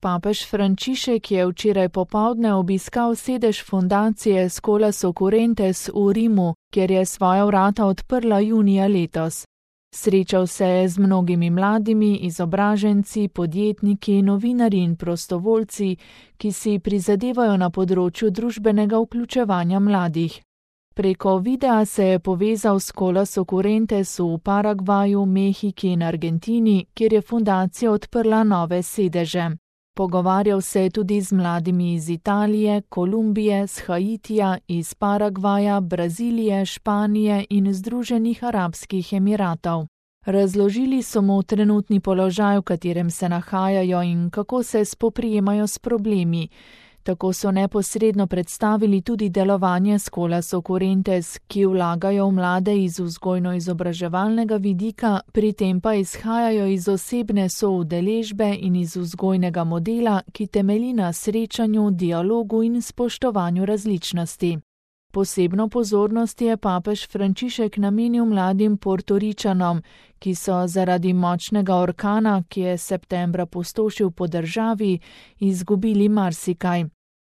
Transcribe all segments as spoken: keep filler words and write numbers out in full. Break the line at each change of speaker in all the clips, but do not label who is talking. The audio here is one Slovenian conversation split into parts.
Papež Frančišek je včeraj popoldne obiskal sedež fundacije Scholas Occurrentes v Rimu, kjer je svoja vrata odprla junija letos. Srečal se je z mnogimi mladimi, izobraženci, podjetniki, novinarji in prostovoljci, ki si prizadevajo na področju družbenega vključevanja mladih. Preko videa se je povezal s Scholas Occurrentes v Paragvaju, Mehiki in Argentini, kjer je fundacija odprla nove sedeže. Pogovarjal se je tudi z mladimi iz Italije, Kolumbije, z Haitija, iz Paragvaja, Brazilije, Španije in Združenih arabskih emiratov. Razložili so mu trenutni položaj, v katerem se nahajajo in kako se spoprijemajo s problemi. Tako so neposredno predstavili tudi delovanje Scholas Occurrentes, ki vlagajo v mlade iz vzgojno-izobraževalnega vidika, pri tem pa izhajajo iz osebne soudeležbe in iz vzgojnega modela, ki temelji na srečanju, dialogu in spoštovanju različnosti. Posebno pozornost je papež Frančišek namenil mladim Portoričanom, ki so zaradi močnega orkana, ki je septembra pustošil po državi, izgubili marsikaj.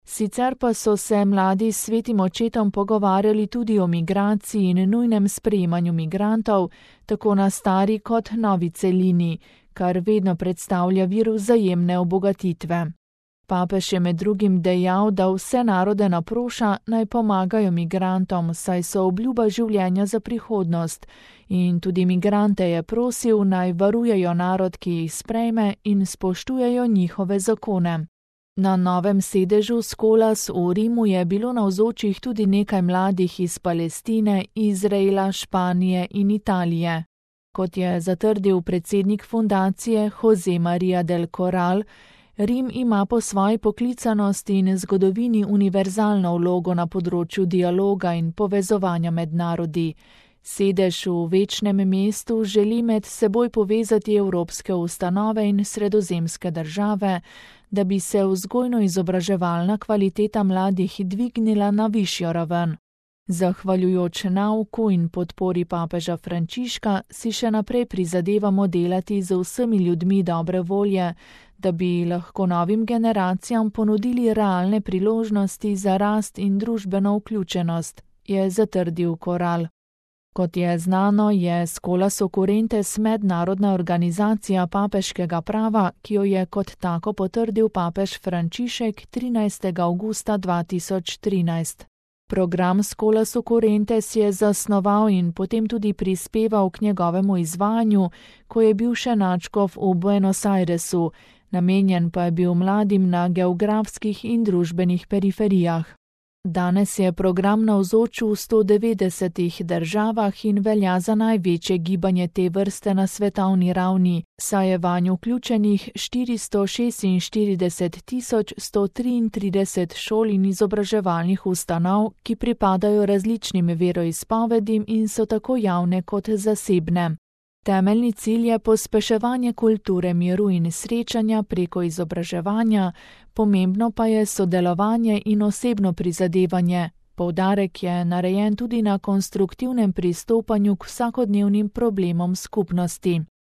Sicer pa so se mladi s svetim očetom pogovarjali tudi o migraciji in nujnem sprejemanju migrantov, tako na stari kot novi celini, kar vedno predstavlja vir vzajemne obogatitve. Papež je med drugim dejal, da vse narode naproša, naj pomagajo migrantom, saj so obljuba življenja za prihodnost, in tudi migrante je prosil, naj varujejo narod, ki jih sprejme, in spoštujejo njihove zakone. Na novem sedežu Scholas v Rimu je bilo navzočih tudi nekaj mladih iz Palestine, Izraela, Španije in Italije. Kot je zatrdil predsednik fundacije José María del Corral, Rim ima po svoji poklicanosti in zgodovini univerzalno vlogo na področju dialoga in povezovanja med narodi. Sedež v večnem mestu želi med seboj povezati evropske ustanove in sredozemske države, da bi se vzgojno-izobraževalna kvaliteta mladih dvignila na višjo raven. Zahvaljujoč nauku in podpori papeža Frančiška si še naprej prizadevamo delati z vsemi ljudmi dobre volje, da bi lahko novim generacijam ponudili realne priložnosti za rast in družbeno vključenost, je zatrdil Corral. Kot je znano, je Scholas Occurrentes mednarodna organizacija papeškega prava, ki jo je kot tako potrdil papež Frančišek trinajstega avgusta dva tisoč trinajst. Program Scholas Occurrentes je zasnoval in potem tudi prispeval k njegovemu izvajanju, ko je bil še nadškof v Buenos Airesu, namenjen pa je bil mladim na geografskih in družbenih periferijah. Danes je program navzoč v sto devetdesetih državah in velja za največje gibanje te vrste na svetovni ravni, saj je vanj vključenih štiristo šestinštirideset tisoč sto triintrideset šol in izobraževalnih ustanov, ki pripadajo različnim veroizpovedim in so tako javne kot zasebne. Temeljni cilj je pospeševanje kulture miru in srečanja preko izobraževanja, pomembno pa je sodelovanje in osebno prizadevanje. Poudarek je narejen tudi na konstruktivnem pristopanju k vsakodnevnim problemom skupnosti.